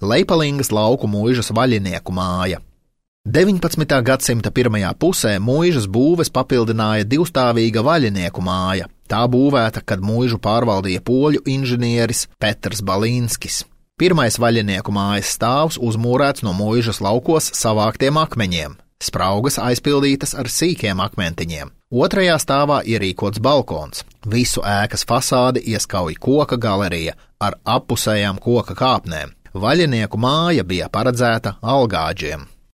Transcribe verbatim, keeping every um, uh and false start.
Leipalingas lauku muižas vaļinieku māja. deviņpadsmitā gadsimta pirmajā pusē muižas būves papildināja divstāvīga vaļinieku māja. Tā būvēta, kad muižu pārvaldīja poļu inženieris Petrs Balīnskis. Pirmais vaļinieku mājas stāvs uzmūrēts no muižas laukos savāktiem akmeņiem, spraugas aizpildītas ar sīkiem akmentiņiem. Otrajā stāvā ierīkots balkons. Visu ēkas fasādi ieskauj koka galerija ar appusējām koka kāpnēm. Vaļinieku māja bija paredzēta algāģiem.